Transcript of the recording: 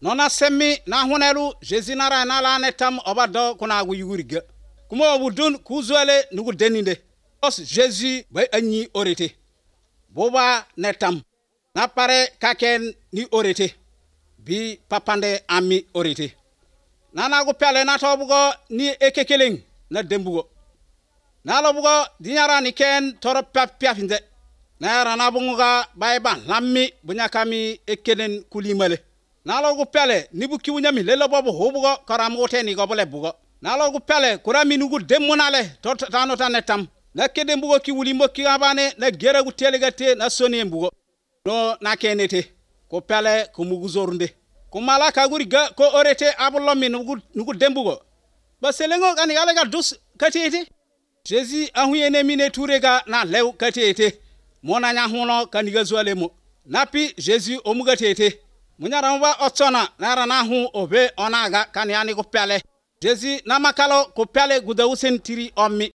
nona semmi na hunelu Jésus nara na la netam obado kuna gu yuguriga kuma obudun kuzuele nugu deninde os Jésus bay anyi orete boba netam na pare kaken ni orete bi papande ami orete nana gu pele na tobugo ni ekekeleng na dembugo na lobugo dinyara ni ken toro piafinde na rana bunga bayban lammi bunyakami ekelen kulimale na logu pele ni buki wunyami lelo bobo hobugo karamu teni go bole bugo na logu pele kurami nugu demunale to tano tanetam na kede mbugo ki wuli mokki abane na gera gu telegate na soni mbugo no na kenete ko pele ko mugu zorunde ko mala ka guri ga ko orete abulomi nugu dembugo ba selengo kan yalega dus katete Jésus ahuyene mine turega na lew katete mona nya huno kaniga zualemo napi Jésus omugatete munyaramba otsona nara na hu obe onaga kanyani ko pele Jésus na makalo ko pele gudawusen tiri ommi